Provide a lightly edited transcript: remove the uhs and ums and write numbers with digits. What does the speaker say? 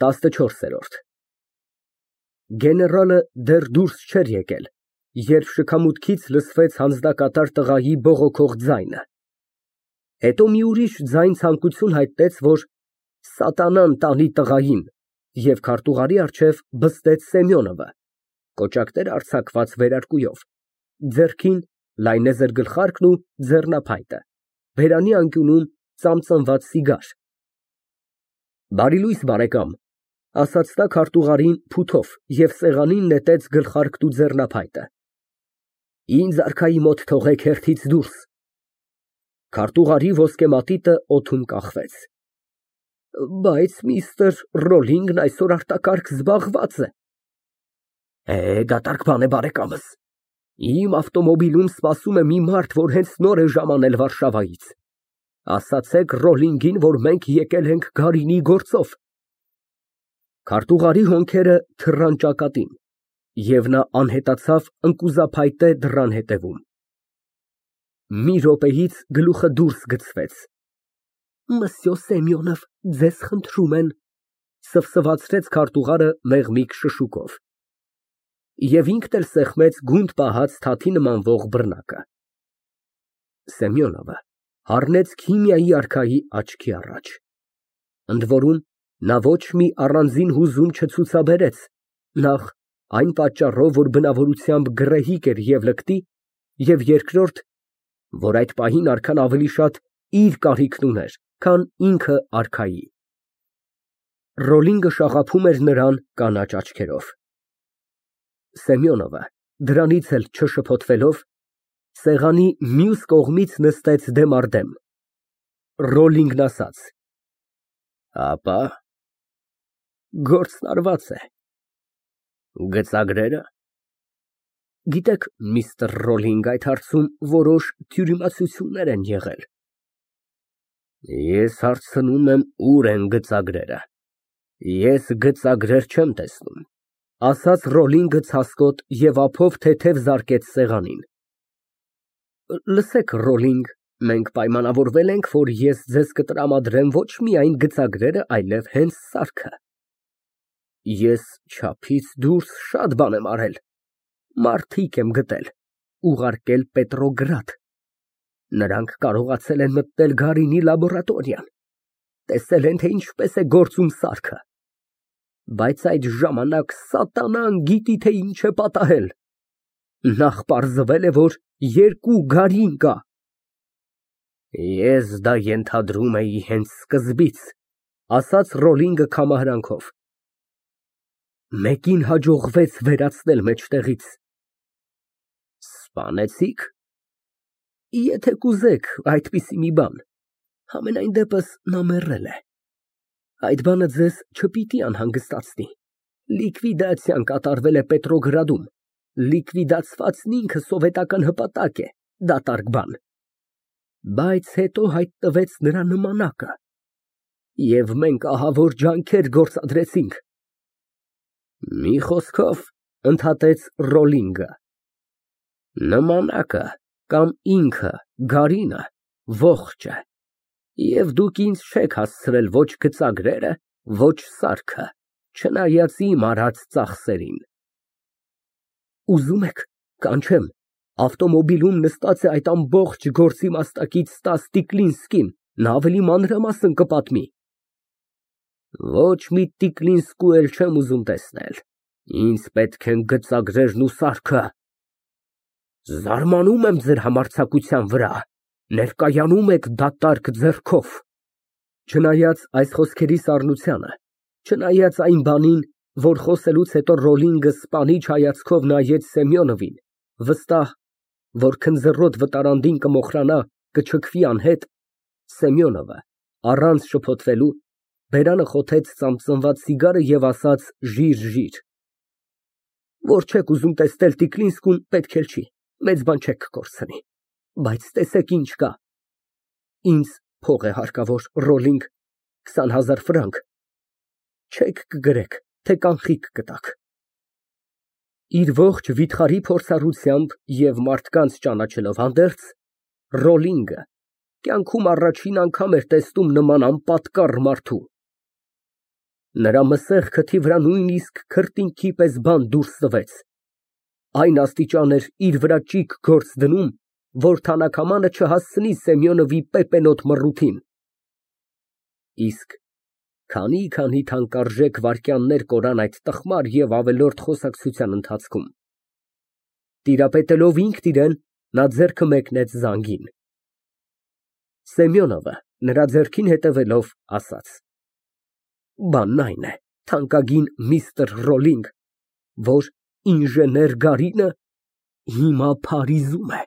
14։ Գեներալը դեռ դուրս չէր եկել, երբ շքամուտքից լսվեց հանձնակատար տղայի բողոքող ձայնը, հետո մի ուրիշ ձայն ցանկություն հայտնեց, որ սատանան տանի տղային, և քարտուղարի առջև բստեց Սեմյոնովը, կոճակներ արձակված վերարկուով, ձեռքին լայնեզր գլխարկն ու ձեռնափայտը, բերանի անկյունում ծամծմված սիգար։ Բարի լույս, բարեկամ, ասաց նա քարտուղարին փութով և սեղանին նետեց գլխարկն ու ձեռնափայտը։ Ինձ արքայի մոտ թողեք հերթից դուրս։ Քարտուղարի ոսկե մատիտը օդում կախվեց։ Բայց միստր Ռոլինգն այսօր արտակարգ զբաղված է։ Դատարկ բան է, բարեկամս։ Իմ ավտոմոբիլում սպասում է մի մարդ, որ հենց նոր է ժամանել Վարշավայից։ Ասացեք Ռոլինգին, որ մենք եկել ենք Գարինի գործով։ Քարտուղարի հոնքերը թռան ճակատին, և նա անհետացավ ընկուզափայտե դռան հետևում։ Մի րոպեից գլուխը դուրս գցվեց։ Մսյո Սեմյոնով, ձեզ խնդրում են, սվսվացրեց քարտուղարը մեղմիկ շշուկով։ Եվ ինքն էլ սեղմեց գունդ պահած թաթի նմանվող բռնակը։ Սեմյոնովը հառնեց քիմիայի արքայի աչքի առաջ։ Ընդ որում, նա ոչ մի առանձին հուզում չցուցաբերեց, նախ այն պատճառով, որ բնավորությամբ գռեհիկ էր և լկտի, և երկրորդ, որ այդ պահին արքան ավելի շատ իր կարիքն ուներ, քան ինքը արքայի։ Ռոլինգը շաղափում էր նրան կանաչ աչքերով։ Սեմյոնովը դրանից էլ չշփոթվելով, սեղանի մյուս կողմից նստեց դեմ առ դեմ։ Ռոլինգն ասաց. Ապա գործն արված է։ Գծագրերը։ Գիտեք, միստր Ռոլինգ, այդ հարցում որոշ թյուրիմացություններ են եղել։ Ես հարցնում եմ, ուր են գծագրերը։ Ես գծագրեր չեմ տեսնում, ասաց Ռոլինգը ցասկոտ և ափով թեթև զարկեց սեղանին։ Լսեք, Ռոլինգ, մենք պայմանավորվել ենք, որ ես ձեզ կտրամադրեմ ոչ միայն գծագրերը, այլև հենց սարքը։ Ես չափից դուրս շատ բան եմ արել, մարդիկ եմ գտել, ուղարկել Պետրոգրադ։ Նրանք կարողացել են մտնել Գարինի լաբորատորիան, տեսել են, թե ինչպես է գործում սարքը։ Բայց այդ ժամանակ սատանան գիտի, թե ինչ է պատահել։ Նախ պարզվել է, որ 2 Գարին կա։ Ես դա ենթադրում էի հենց սկզբից, ասաց Ռոլինգը կամահարանքով։ Մեկին հաջողվեց վերացնել մեջտեղից։ Սպանեցի՞ք։ Եթե կուզեք այդպիսի մի բան, համենայն դեպս նա մեռել է։ Այդ բանը ձեզ չպիտի անհանգստացնի։ Լիկվիդացիան կատարվել է Պետրոգրադում։ Լիկվիդացվածն ինքը սովետական հպատակ է, դատարկ բան։ Բայց հետո հայտնվեց նրա նմանակը, և մենք ահավոր ջանքեր գործադրեցինք։ Մի խոսքով, ընդհատեց Ռոլինգը, նմանակը կամ ինքը, Գարինը, ողջ է, և դուք ինձ չեք հասցրել ոչ գծագրերը, ոչ սարքը, չնայած իմ արած ծախսերին։ Ուզում եք, կանչեմ, ավտոմոբիլում նստած է այդ ամբողջ գործի մասնակից Ստաս Տիկլինսկին, նա ավելի մանրամասն կպատմի։ Ոչ մի Տիկլինսկու էլ չեմ ուզում տեսնել, ինձ պետք են գծագրերն ու սարքը։ Զարմանում եմ ձեր համարձակության վրա, ներկայանում եք դատարկ ձեռքով։ Չնայած այս խոսքերի սառնությանը, չնայած այն բանին, որ խոսելուց հետո Ռոլինգը սպանիչ հայացքով նայեց Սեմյոնովին, վստահ, որ քնձռոտ վտարանդին կմոխրանա, կչքվի անհետ, Սեմյոնովը, առանց շփոթվելու, բերանը խոթեց ծամծմված սիգարը և ասաց ժիր։ Որ չեք ուզում տեսնել Տիկլինսկուն, պետք էլ չի, մեծ բան չեք կորցնի, բայց տեսեք ինչ կա։ Ինձ փող է հարկավոր, Ռոլինգ, 20,000 ֆրանկ։ Չեք կգրեք, թե կանխիկ կտաք։ Իր ողջ վիթխարի փորձառությամբ և մարդկանց ճանաչելով հանդերձ, Ռոլինգը կյանքում առաջին անգամ էր տեսնում նման անպատկառ մարդու։ Նրա մսեղ քթի վրա նույնիսկ քրտինքի պես բան դուրս տվեց, այն աստիճան էր իր վրա ճիգ գործ դնում, որ թանաքամանը չհասցնի Սեմյոնովի պեպենոտ մռութին։ Իսկ քանի թանկարժեք վայրկյաններ կորան այդ տխմար և ավելորդ խոսակցության ընթացքում, տիրապետելով ինքն իրան, նա ձեռքը մեկնեց զանգին։ Սեմյոնովը նրա ձեռքին հետևելով, ասաց. Բանն այն է, թանկագին միստր Ռոլինգ, որ ինժեներ Գարինը հիմա Փարիզում է։